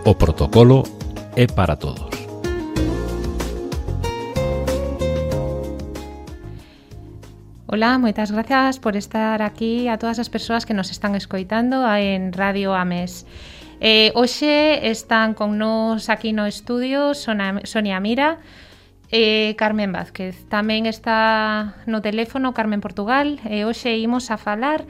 O protocolo é para todos. Hola, moitas gracias por estar aquí a todas as persoas que nos están escoitando en Radio Ames. Hoxe están con nos aquí no estudio Sonia Mira e Carmen Vázquez. Tamén está no teléfono Carmen Portugal e hoxe imos a falar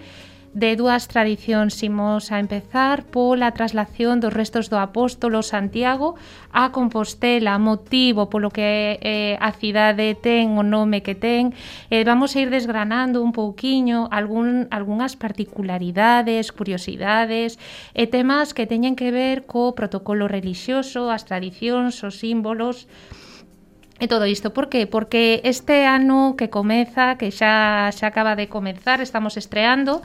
de dúas tradicións. Imos a empezar pola traslación dos restos do apóstolo Santiago a Compostela, motivo polo que a cidade ten o nome que ten. Vamos a ir desgranando un pouquiño algunhas particularidades, curiosidades e temas que teñen que ver co protocolo relixioso, as tradicións, os símbolos e todo isto. Por qué? Porque este ano que comeza, que xa acaba de comezar, estamos estreando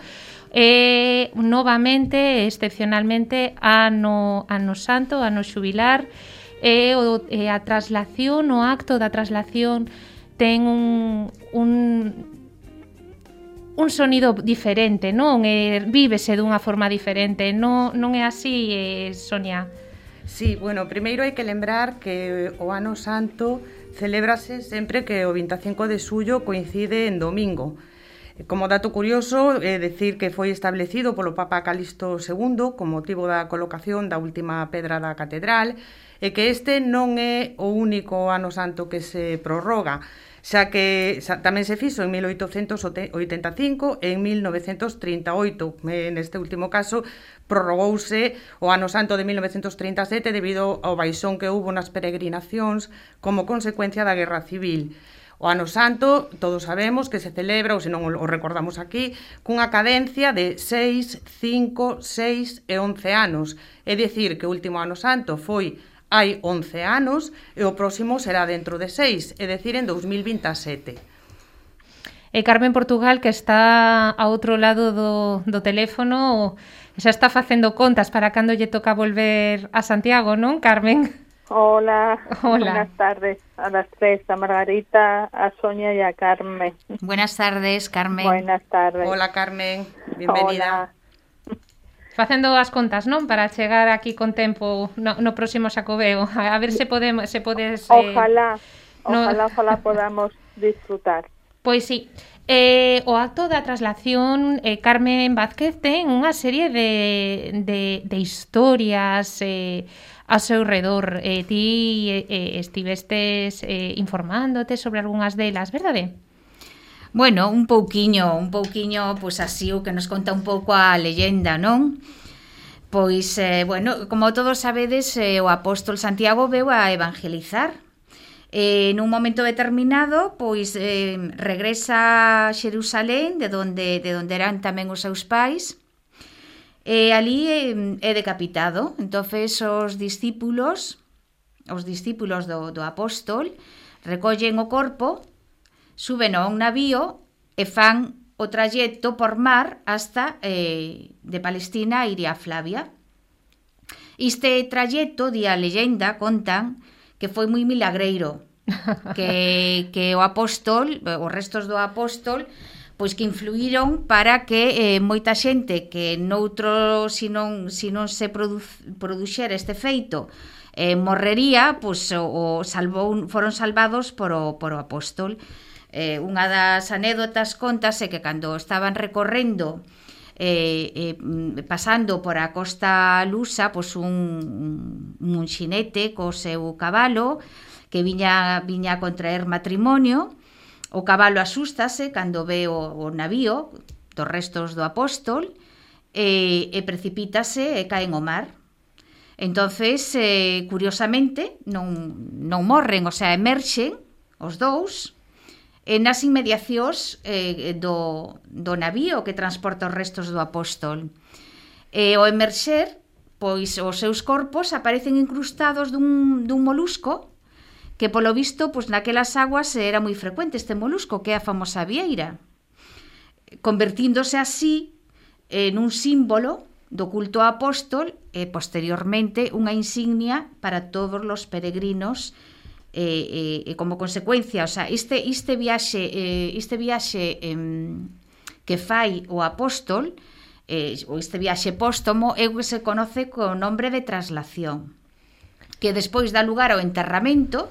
novamente, excepcionalmente, ano santo, ano xubilar, a traslación, o acto da traslación ten un sonido diferente, non? Vívese dunha forma diferente, non é así, Sonia? Sí, bueno, primeiro hai que lembrar que o ano santo celébrase sempre que o 25 de xullo coincide en domingo. Como dato curioso, decir que foi establecido polo Papa Calixto II con motivo da colocación da última pedra da catedral e que este non é o único ano santo que se prorroga, xa que tamén se fixo en 1885 e en 1938. Neste último caso, prorrogouse o ano santo de 1937 debido ao baixón que houbo nas peregrinacións como consecuencia da Guerra Civil. O ano santo, todos sabemos que se celebra, ou se non o recordamos aquí, cunha cadencia de 6, 5, 6 e 11 anos. É dicir, que o último ano santo foi hai 11 anos e o próximo será dentro de 6, é dicir, en 2027. E Carmen Portugal, que está ao outro lado do teléfono, xa está facendo contas para cando lle toca volver a Santiago, non, Carmen? Hola, buenas tardes a las tres, a Margarita, a Sonia y a Carmen. Buenas tardes, Carmen. Buenas tardes. Hola, Carmen, bienvenida. Hola. Facendo as contas, non? Para chegar aquí con tempo no próximo Xacobeo. A ver se podes... Ojalá podamos disfrutar. Pois sí. O acto da traslación, Carmen Vázquez ten unha serie de historias a seu redor. Ti estivestes informándote sobre algunhas delas, verdade? Bueno, un pouquiño, pois así o que nos conta un pouco a leyenda, non? Pois, bueno, como todos sabedes, o apóstol Santiago veu a evangelizar. Nun momento determinado, pois regresa a Xerusalén, de onde eran tamén os seus pais, e ali é decapitado. Entonces os discípulos do apóstol recollen o corpo, suben a un navío e fan o trayecto por mar hasta de Palestina a Iria Flavia. Este trayecto, di a leyenda, contan que foi moi milagreiro, que o apóstol, os restos do apóstol, pois que influíron para que moita xente que noutro, se non se produxera este feito, morrería, pois foron salvados por o apóstol. Unha das anécdotas contase que cando estaban recorrendo pasando por a costa lusa, pois un xinete co seu cabalo que viña a contraer matrimonio. O cabalo asústase cando ve o navío dos restos do apóstol e precipítase e cae no mar. Entonces, curiosamente, non morren, o sea, emerxen os dous nas inmediacións do navío que transporta os restos do apóstol. Ao emerxer, pois os seus corpos aparecen incrustados dun molusco que polo visto, pois naquelas aguas era moi frecuente este molusco, que é a famosa vieira, convertíndose así nun símbolo do culto ao apóstol e posteriormente unha insignia para todos os peregrinos e como consecuencia, o sea, este viaxe que fai o apóstol, ou este viaxe póstomo, é o que se conoce co nombre de traslación. que despois dá lugar ao enterramento,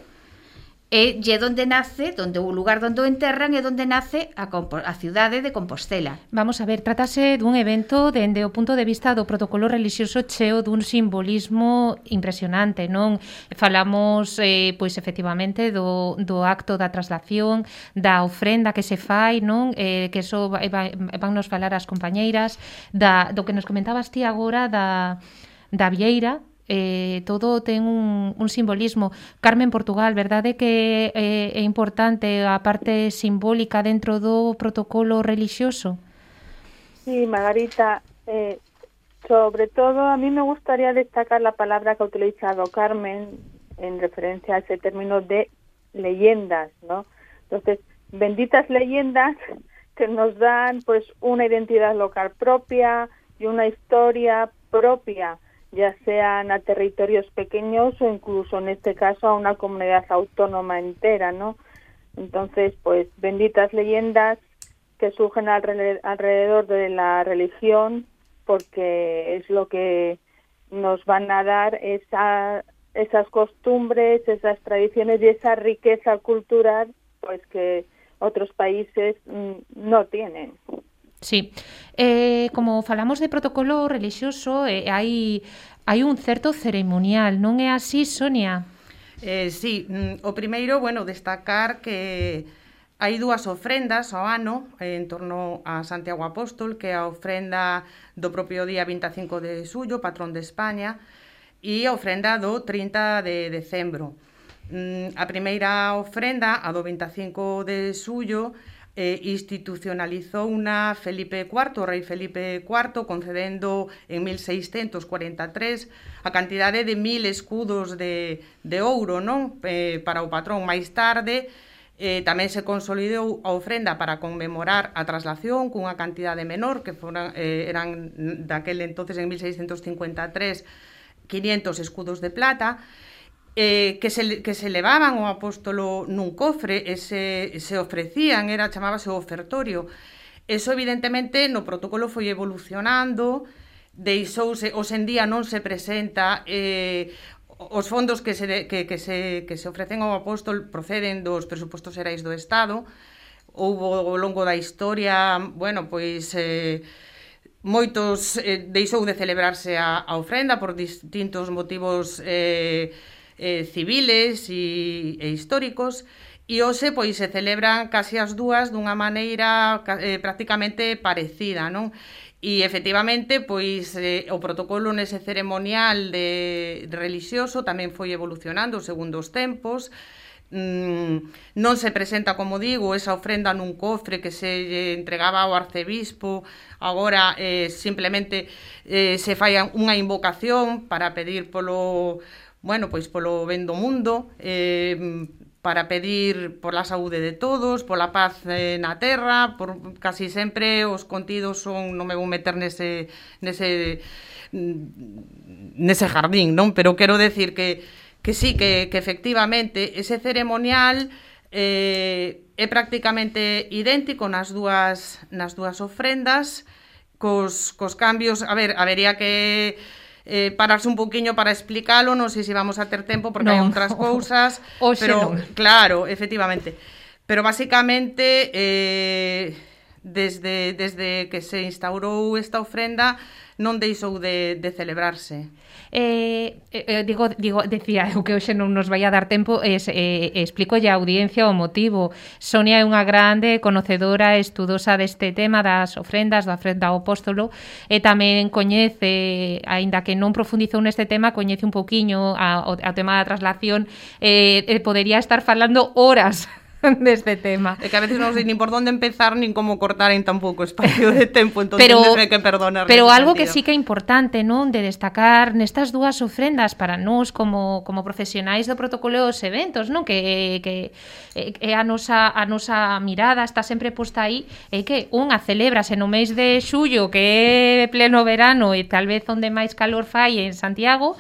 e lle onde nace, o lugar onde o enterran é onde nace a cidade de Compostela. Vamos a ver, trátase dun evento dende o punto de vista do protocolo relixioso cheo dun simbolismo impresionante, non? Falamos, pois, efectivamente, do acto da traslación, da ofrenda que se fai, non? Que eso van nos falar as compañeiras, do que nos comentabas ti agora da vieira. Todo ten un simbolismo. Carmen, Portugal, verdade que é importante a parte simbólica dentro do protocolo relixioso? Sí, Margarita, sobre todo a mí me gustaría destacar la palabra que ha utilizado Carmen en referencia a ese término de leyendas, ¿no? Entonces, benditas leyendas que nos dan pues una identidad local propia y una historia propia, ya sean a territorios pequeños o incluso en este caso a una comunidad autónoma entera, ¿no? Entonces, pues benditas leyendas que surgen alrededor de la religión, porque es lo que nos van a dar esas costumbres, esas tradiciones y esa riqueza cultural, pues que otros países no tienen. Sí, como falamos de protocolo relixioso, hai un certo ceremonial, non é así, Sonia? Sí, o primeiro, destacar que hai dúas ofrendas ao ano en torno a Santiago Apóstol, que é a ofrenda do propio día 25 de xullo, patrón de España, e a ofrenda do 30 de decembro. A primeira ofrenda, a do 25 de xullo, institucionalizou unha Felipe IV, o rei Felipe IV, concedendo en 1643 a cantidade de 1000 escudos de ouro, non? Para o patrón. Máis tarde tamén se consolidou a ofrenda para conmemorar a traslación cunha cantidade menor, que eran daquel entonces en 1653 500 escudos de plata, que se levaban ao apóstolo nun cofre e se ofrecían, chamábase o ofertorio. Eso evidentemente no protocolo foi evolucionando, deixouse, hoxe en día non se presenta, os fondos que se ofrecen ao apóstol proceden dos presupostos xerais do Estado. Houbo ao longo da historia, moitos deixou de celebrarse a ofrenda por distintos motivos civiles e históricos, e hoxe se celebran casi as dúas dunha maneira prácticamente parecida, non? E efectivamente, o protocolo nese ceremonial relixioso tamén foi evolucionando segundo os tempos. Non se presenta, como digo, esa ofrenda nun cofre que se entregaba ao arcebispo. Agora simplemente se fai unha invocación para pedir polo ben do mundo, para pedir pola saúde de todos, pola paz na terra. Casi sempre os contidos son, non me vou meter nese jardín, non? Pero quero decir que sí, que efectivamente ese ceremonial é prácticamente idéntico nas dúas ofrendas, cos cambios. A ver, habería que pararse un pouquiño para explicarlo, non sei se vamos a ter tempo porque hai outras cousas, pero claro, efectivamente. Pero basicamente desde que se instaurou esta ofrenda non deixou de celebrarse. Decía eu que hoxe non nos vai a dar tempo, explico a audiencia o motivo. Sonia é unha grande conocedora, estudosa deste tema das ofrendas, da ofrenda ao apóstolo, e tamén coñece, aínda que non profundizou neste tema, coñece un pouquiño ao tema da traslación, podería estar falando horas deste tema. É que a veces non sei nin por onde empezar nin como cortar en tan pouco espacio de tempo, entón tendré que perdonar. Pero algo que sí que é importante, non, de destacar nestas dúas ofrendas para nós como profesionais do protocolo dos eventos, non, que é a nosa mirada está sempre posta aí, é que unha celébrase no mês de xullo, que é pleno verano e tal vez onde máis calor fai en Santiago,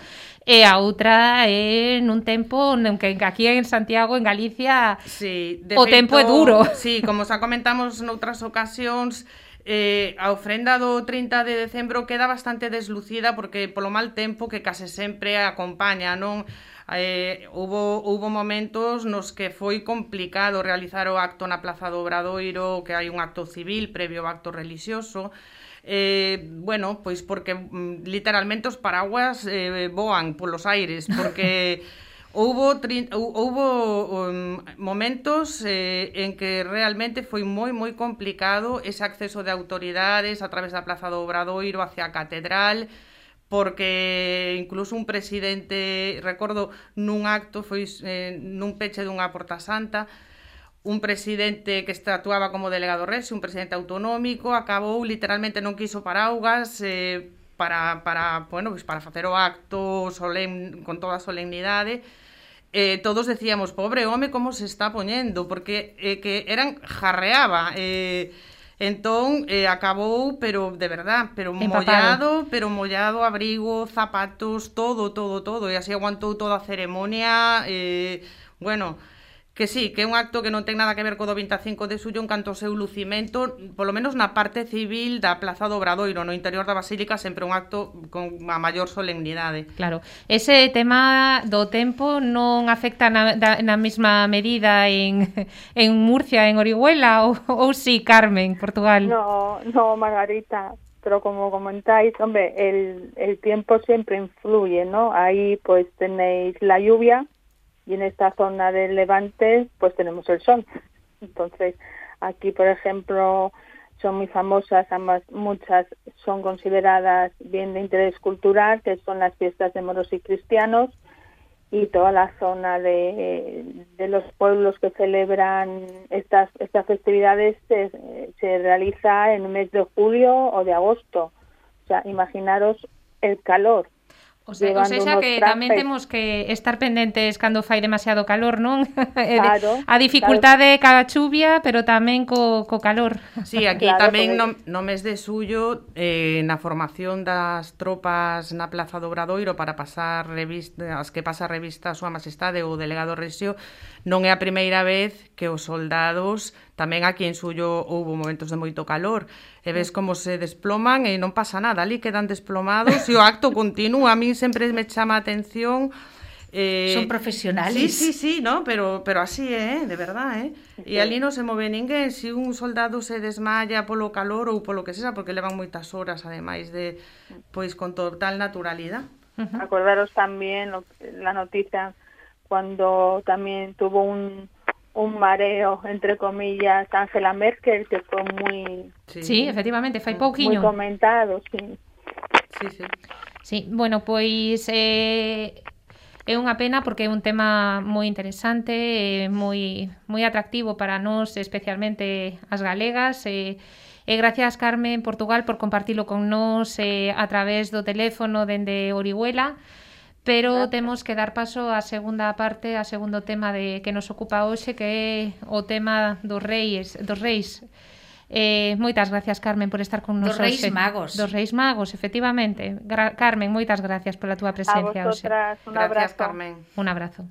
e a outra é nun tempo que aquí en Santiago, en Galicia, sí, o tempo é duro. Sí, como xa comentamos noutras ocasións, A ofrenda do 30 de decembro queda bastante deslucida porque polo mal tempo que case sempre acompaña, non? Houbo momentos nos que foi complicado realizar o acto na Plaza do Obradoiro, que hai un acto civil previo ao acto relixioso. Bueno, pois porque literalmente os paraguas voan polos aires, porque houbo momentos en que realmente foi moi complicado ese acceso de autoridades a través da Plaza do Obradoiro hacia a Catedral, porque incluso un presidente, recordo nun acto, foi nun peche dunha Porta Santa, un presidente que actuaba como delegado rexio, un presidente autonómico, acabou literalmente non quiso paraugas para facer o acto solemne, con toda a solemnidade. Todos decíamos, pobre home, como se está poñendo, porque que jarreaba. Entón, acabou, pero de verdad, pero mollado, abrigo, zapatos, todo, e así aguantou toda a ceremonia. Bueno, que sí, que é un acto que non ten nada que ver co do 25 de xullo en canto ao seu lucimento, polo menos na parte civil da Plaza do Obradoiro, no interior da Basílica sempre un acto con a maior solemnidade. Claro, ese tema do tempo non afecta na mesma medida en Murcia, en Orihuela, ou sí, Carmen, Portugal? No, Margarita, pero como comentáis, hombre, el tiempo siempre influye, ¿no? Ahí pues tenéis la lluvia, y en esta zona del Levante pues tenemos el sol. Entonces aquí, por ejemplo, son muy famosas, además muchas son consideradas bien de interés cultural, que son las fiestas de moros y cristianos, y toda la zona de los pueblos que celebran estas festividades se realiza en el mes de julio o de agosto. O sea, imaginaros el calor. O sea que tamén temos que estar pendentes cando fai demasiado calor, non? Claro, a dificultade ca chuvia, pero tamén co calor. Sí, aquí claro, tamén no mes de xullo, na formación das tropas na Plaza do Obradoiro para pasar as que pasa a revista a Súa Majestade o delegado rexio, non é a primeira vez que os soldados, tamén aquí en Xullo houve momentos de moito calor, e ves como se desploman e non pasa nada, ali quedan desplomados e o acto continúa. A mí sempre me chama a atención. Son profesionales. Sí, no, pero así de verdad, E ali non se move ninguén. Se un soldado se desmaya polo calor ou polo que sexa, porque levan moitas horas, ademais de, pois, con total naturalidade. Acordaros tamén la noticia cuando también tuvo un mareo, entre comillas, Angela Merkel, que fue muy... Sí, efectivamente, fai pouquiño. Muy comentado, sí. Sí, bueno, pois é unha pena porque é un tema moi interesante, moi atractivo para nós, especialmente as galegas, e gracias, Carmen, Portugal, por compartilo con nós a través do teléfono dende Orihuela. Pero temos que dar paso á segunda parte, ao segundo tema que nos ocupa hoxe, que é o tema dos reis. Moitas gracias, Carmen, por estar con nos hoxe. Dos Reis Magos. Dos Reis Magos, efectivamente. Carmen, moitas gracias pola túa presencia hoxe. A vosotras, un abrazo. Gracias, Carmen. Un abrazo.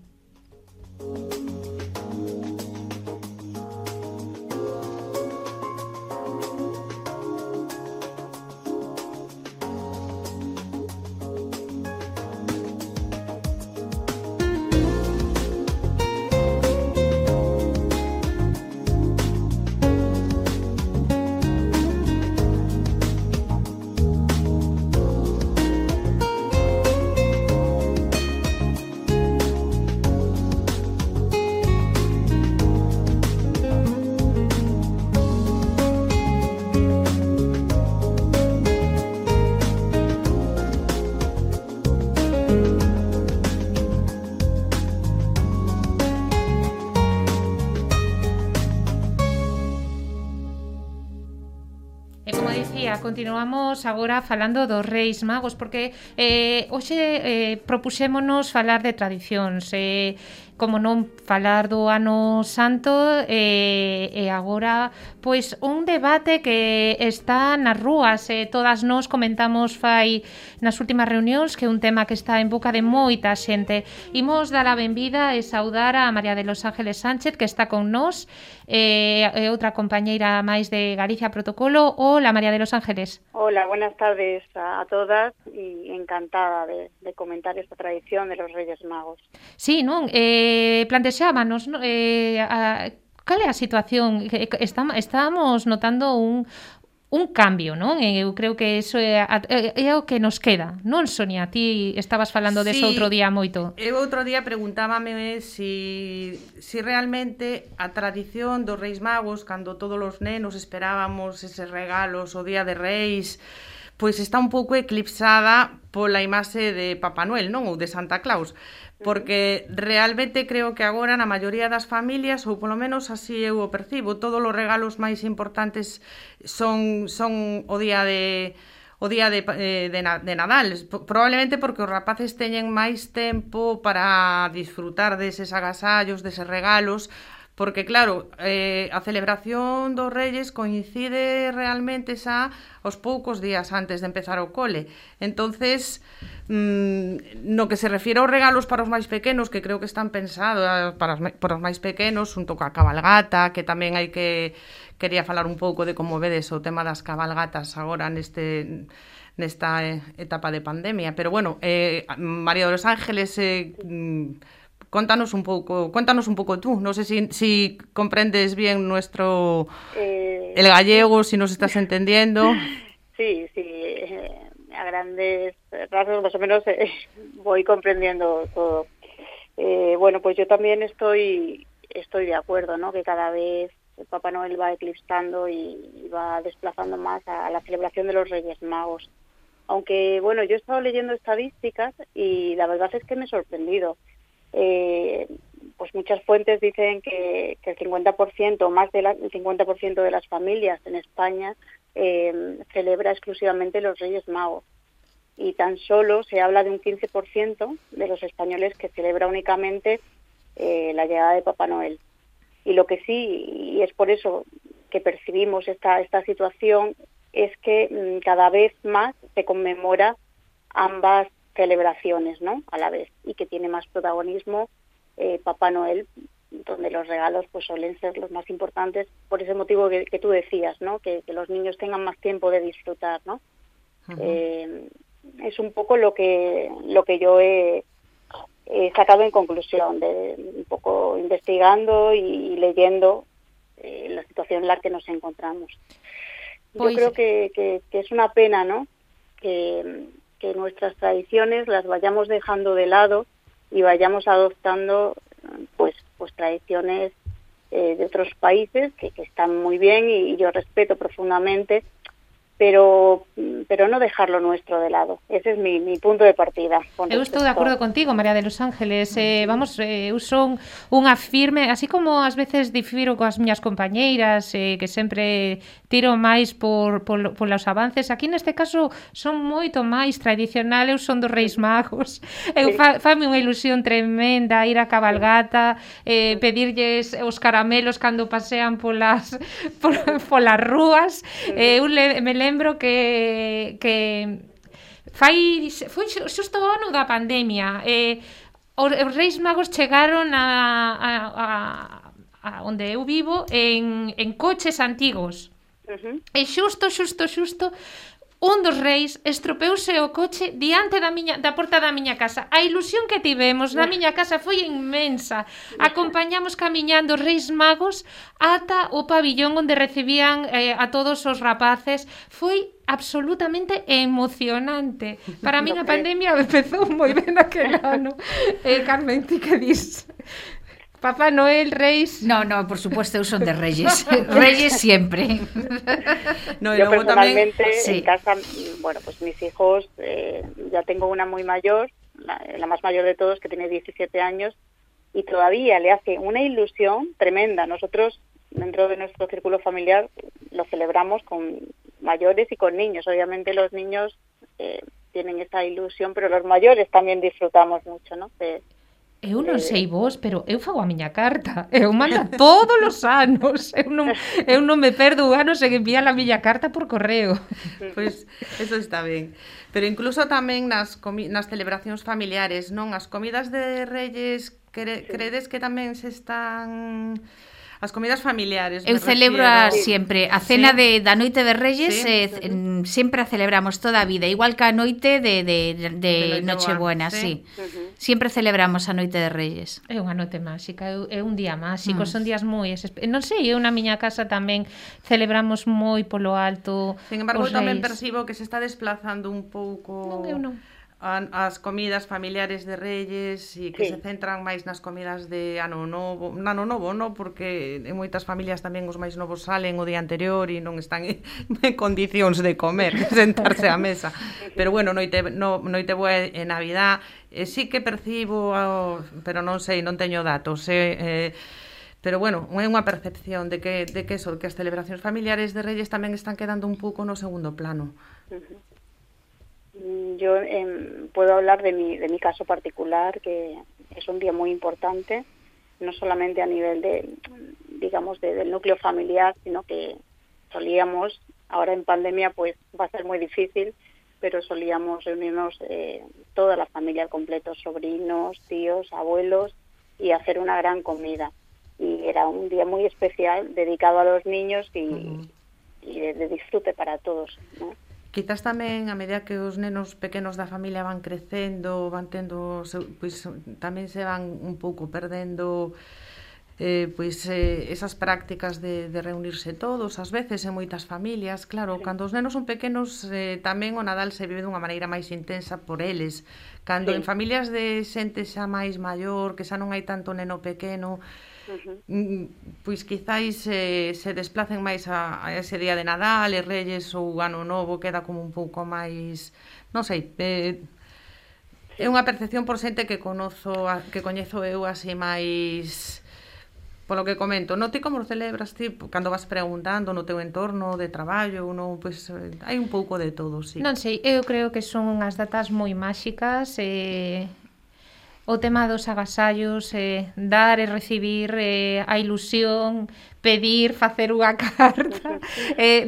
Continuamos agora falando dos Reis Magos, porque hoxe propuxémonos falar de tradicións. como non falar do Ano Santo e agora pois un debate que está nas rúas todas nós comentamos fai nas últimas reunións que é un tema que está en boca de moita xente. Imos dar a benvida e saudar a María de los Ángeles Sánchez que está con nós e outra compañeira máis de Galicia Protocolo. Hola María de los Ángeles. Hola, buenas tardes a todas y encantada de comentar esta tradición de los Reyes Magos. Sí, non? Plantexábanos, cal é a situación? Estamos notando un cambio, non? Eu creo que eso é o que nos queda, non, Sonia? Ti estabas falando deso outro día moito. Eu outro día preguntábame si realmente a tradición dos Reis Magos, cando todos os nenos esperábamos eses regalos o Día de Reis, pois está un pouco eclipsada pola imaxe de Papá Noel, non? Ou de Santa Claus. Porque realmente creo que agora na maioría das familias, ou polo menos así eu o percibo, todos os regalos máis importantes son o día de Nadal, probablemente porque os rapaces teñen máis tempo para disfrutar deses agasallos, deses regalos, porque claro, a celebración dos Reyes coincide realmente xa aos poucos días antes de empezar o cole. Entonces, no que se refiere aos regalos para os máis pequenos, que creo que están pensados para os máis pequenos, junto coa cabalgata, que tamén hai que quería falar un pouco de como vedes o tema das cabalgatas agora nesta etapa de pandemia. Pero bueno, María de los Ángeles, cuéntanos un pouco tú. No sé si comprendes bien el gallego, si nos estás entendiendo. Sí, a grandes rasgos más o menos voy comprendiendo todo. Bueno, pues yo también estoy de acuerdo, ¿no? Que cada vez el Papá Noel va eclipsando y va desplazando más a la celebración de los Reyes Magos. Aunque, bueno, yo he estado leyendo estadísticas y la verdad es que me he sorprendido. Pues muchas fuentes dicen que el 50%, más del 50% de las familias en España celebra exclusivamente los Reyes Magos. Y tan solo se habla de un 15% de los españoles que celebra únicamente la llegada de Papá Noel. Y lo que sí, y es por eso que percibimos esta situación, es que cada vez más se conmemora ambas celebraciones, ¿no? A la vez, y que tiene más protagonismo Papá Noel, donde los regalos pues suelen ser los más importantes, por ese motivo que tú decías, ¿no? Que los niños tengan más tiempo de disfrutar, ¿no? Uh-huh. Es un poco lo que yo he sacado en conclusión, de un poco investigando y leyendo la situación en la que nos encontramos. Pues... Yo creo que es una pena, ¿no? Que nuestras tradiciones las vayamos dejando de lado y vayamos adoptando pues tradiciones de otros países que están muy bien y yo respeto profundamente, pero no dejar lo nuestro de lado. Ese es mi punto de partida. Eu estou de acordo contigo, María de los Ángeles. Eu son unha firme, así como ás veces difiro coas miñas compañeiras, que sempre tiro máis por os avances. Aquí neste caso son moito máis tradicional, eu son dos Reis Magos. Eu fame unha ilusión tremenda ir a cabalgata, pedirlles os caramelos cando pasean polas rúas. Eu me lembro que foi xusto o ano da pandemia. Os Reis Magos chegaron a onde eu vivo en coches antigos. Uh-huh. E xusto un dos reis estropeouse o coche diante da porta da miña casa. A ilusión que tivemos na miña casa foi inmensa. Acompañamos camiñando os Reis Magos ata o pabillón onde recibían a todos os rapaces. Foi absolutamente emocionante. Para min a pandemia empezou moi ben aquel ano. Carmen, ti que dis? Papá Noel, Reis... No, por supuesto, eu son de Reyes. Reyes siempre. No, yo personalmente en casa, bueno, pues mis hijos, ya tengo una muy mayor, la más mayor de todos, que tiene 17 años, y todavía le hace una ilusión tremenda. Nosotros, dentro de nuestro círculo familiar, lo celebramos con mayores y con niños. Obviamente los niños tienen esa ilusión, pero los mayores también disfrutamos mucho, ¿no? Eu non sei vos, pero eu fago a miña carta. Eu mando todos os anos. Eu non me perdo un ano sen enviar a miña carta por correo. Pois eso está ben. Pero incluso tamén nas celebracións familiares, non? As comidas de Reyes, credes que tamén se están... As comidas familiares, eu celebro sempre a cena da noite de Reyes, sempre a celebramos toda a vida, igual que a noite de Nochebuena, sí. Sempre celebramos a noite de Reyes. É unha noite máxica, é un día máxico, son días moi... Non sei, eu na miña casa tamén celebramos moi polo alto. Sin embargo, tamén percibo que se está desplazando un pouco... Non, eu non. As comidas familiares de Reyes e que se centran máis nas comidas de Ano Novo, non? Porque en moitas familias tamén os máis novos salen o día anterior e non están en condicións de comer, de sentarse á mesa. Pero bueno, noite boa e Navidad, sí que percibo, pero non sei, non teño datos, pero bueno, é unha percepción de que as celebracións familiares de Reyes tamén están quedando un pouco no segundo plano. Yo puedo hablar de mi caso particular, que es un día muy importante, no solamente a nivel del núcleo familiar, sino que solíamos, ahora en pandemia pues va a ser muy difícil, pero solíamos reunirnos toda la familia al completo, sobrinos, tíos, abuelos, y hacer una gran comida. Y era un día muy especial, dedicado a los niños y de disfrute para todos, ¿no? Quizás tamén, a medida que os nenos pequenos da familia van crecendo, van tendo, pois tamén se van un pouco perdendo esas prácticas de reunirse todos, ás veces en moitas familias. Claro, cando os nenos son pequenos tamén o Nadal se vive dunha maneira máis intensa por eles. Cando en familias de xente xa máis maior, que xa non hai tanto neno pequeno, pois quizáis se desplacen máis a ese día de Nadal e Reyes ou Ano Novo queda como un pouco máis, non sei, é unha percepción por xente que coñezo eu así máis polo que comento. Non ti como lo celebras ti cando vas preguntando no teu entorno de traballo, non, pois hai un pouco de todo, sí. Non sei, eu creo que son unhas datas moi máxicas, o tema dos agasallos, dar e recibir, a ilusión, pedir, facer unha carta,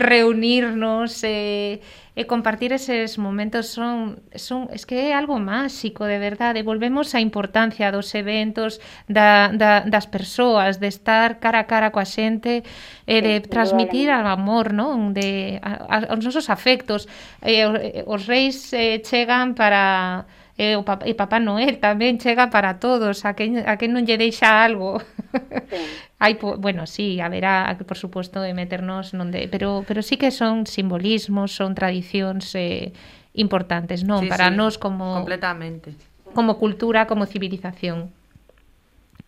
reunirnos, compartir eses momentos es que é algo máxico, de verdade. Volvemos á importancia dos eventos, das persoas, de estar cara a cara coa xente, de transmitir o amor, non? Os nosos afectos. Os reis chegan para... e Papá Noel tamén chega para todos, a quen non lle deixa algo. Hai, bueno, sí, haberá, por suposto, de meternos pero sí que son simbolismos, son tradicións importantes, non? Para nós como completamente, como cultura, como civilización.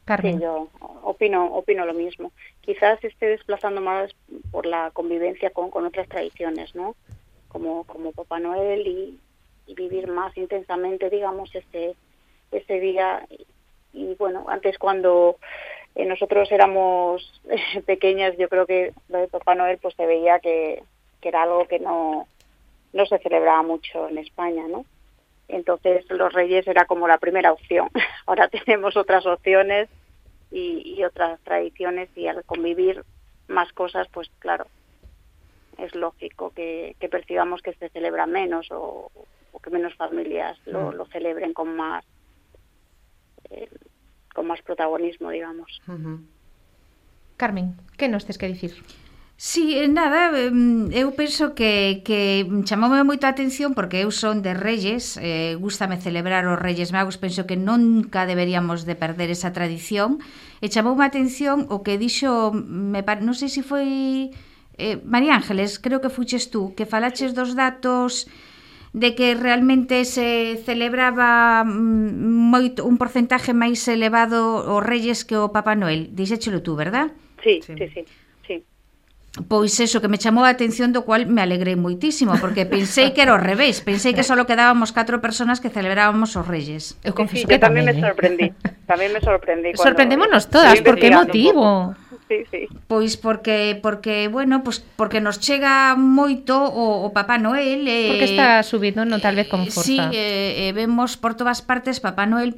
Carmen. Sí, yo opino lo mismo. Quizás esté desplazando más por la convivencia con otras tradiciones, ¿no? Como Papá Noel y vivir más intensamente, digamos, ese día. Y bueno, antes cuando nosotros éramos pequeñas, yo creo que lo de Papá Noel pues se veía que era algo que no se celebraba mucho en España, ¿no? Entonces los Reyes era como la primera opción. Ahora tenemos otras opciones y otras tradiciones, y al convivir más cosas, pues claro, es lógico que percibamos que se celebra menos o que menos familias lo celebren con más protagonismo, digamos. Carmen, que nos tes que dicir? Sí, nada, eu penso que chamoume moito a atención porque eu son de Reyes, gústame celebrar os Reyes Magos, penso que nunca deberíamos de perder esa tradición, e chamoume a atención o que dixo, non sei se foi María Ángeles, creo que fuches tú, que falaches dos datos de que realmente se celebraba moito un porcentaje máis elevado os Reyes que o Papá Noel. Dixéchelo tú, verdad? Sí. Pois eso, que me chamou a atención, do cual me alegrei moitísimo, porque pensei que era ao revés, pensei que só quedábamos 4 personas que celebrábamos os Reyes. Eu confeso que tamén me sorprendí. Sorprendémonos todas, por que motivo? sí. Pois porque bueno, pois porque nos chega moito o Papá Noel, porque está subido, non tal vez con forza. Sí, vemos por todas partes Papá Noel,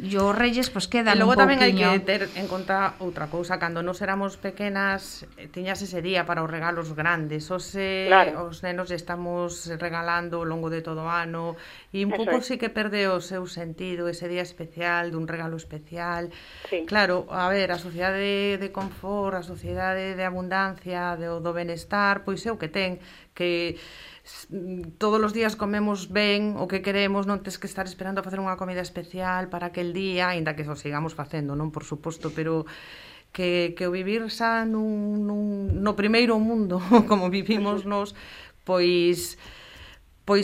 e os Reyes pois quedan un pouquiño. E logo tamén hai que ter en conta outra cousa, cando nos éramos pequenas tiñas ese día para os regalos grandes, claro. Os nenos estamos regalando ao longo de todo o ano e un pouco sí que perde o seu sentido ese día especial, dun regalo especial. Sí. Claro, a ver, a sociedade de confort, a sociedade de abundancia, do benestar, pois é o que ten, que todos os días comemos ben o que queremos, non tes que estar esperando a facer unha comida especial para aquel día, aínda que o sigamos facendo, non, por suposto, pero que o vivir xa no primeiro mundo, como vivimos nos, pois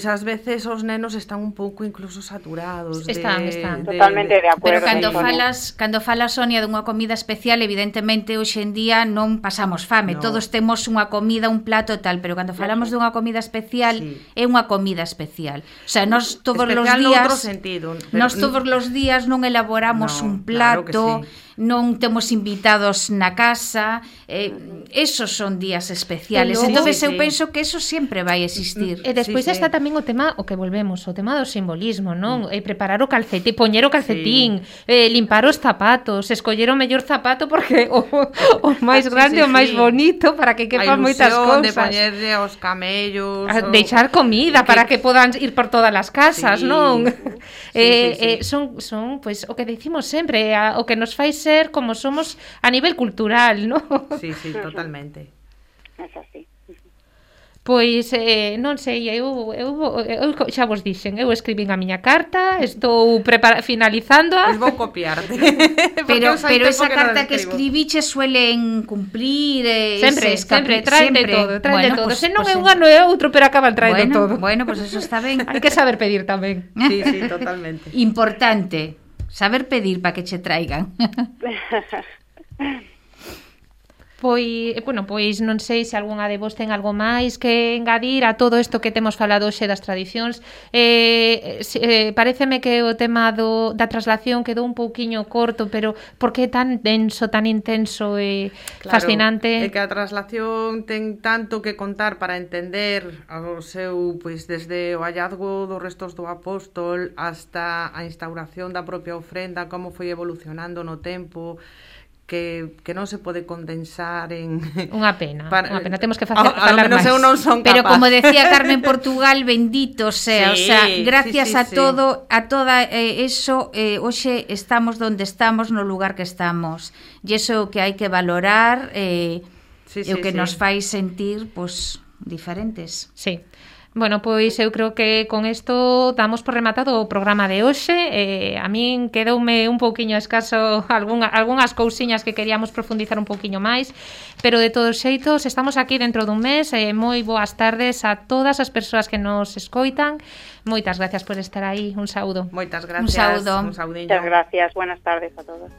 ás veces os nenos están un pouco incluso saturados. Están. Totalmente de acordo. Pero cando falas, Sonia, dunha comida especial, evidentemente, hoxe en día non pasamos fame. No. Todos temos unha comida, un plato tal, pero cando falamos dunha comida especial, é unha comida especial. O sea, nós todos os días... Nós todos os días non elaboramos un plato, claro que sí. Non temos invitados na casa, esos son días especiales. Entonces eu penso que eso sempre vai existir. E despois está tamén o tema, o que volvemos, o tema do simbolismo, non? Preparar o calcetín, poñer o calcetín, limpar os zapatos, escoller o mellor zapato porque o máis grande, o máis bonito, para que quepan moitas cousas. De poñerlle aos camellos, deixar comida para que podan ir por todas as casas, non? Son pois o que decimos sempre, o que nos fai ser como somos a nivel cultural, non? Sí, totalmente. É así. Pois, non sei, eu xa vos dixen, eu escribín a miña carta, estou finalizándoa. Pois vou copiarte. pero esa carta que escribiche suelen cumplir, sempre traen de todo. Pues, Se non é un ano é outro, pero acaban traendo todo. Bueno, pues eso está ben. Hai que saber pedir tamén. Sí, totalmente. Importante, saber pedir para que che traigan. Pois non sei se algunha de vos ten algo máis que engadir a todo isto que temos falado hoxe das tradicións. Paréceme que o tema da traslación quedou un pouquiño corto, pero por que tan denso, tan intenso e fascinante? É que a traslación ten tanto que contar para entender o seu, pois desde o hallazgo dos restos do apóstol hasta a instauración da propia ofrenda, como foi evolucionando no tempo, que non se pode condensar en... Unha pena, temos que falar máis. Eu non son capaz. Pero como decía Carmen Portugal, bendito sea, o sea, gracias a todo, a toda eso, hoxe estamos donde estamos, no lugar que estamos. E iso que hai que valorar, e o que nos fai sentir, pois, diferentes. Sí. Bueno, pois eu creo que con isto damos por rematado o programa de hoxe. A min quedoume un pouquiño escaso algunhas cousiñas que queríamos profundizar un pouquiño máis, pero de todos xeitos estamos aquí dentro dun mes. Moi boas tardes a todas as persoas que nos escoitan. Moitas gracias por estar aí. Un saúdo. Moitas gracias. Un saúdo. Un saudiño. Muchas gracias. Buenas tardes a todos.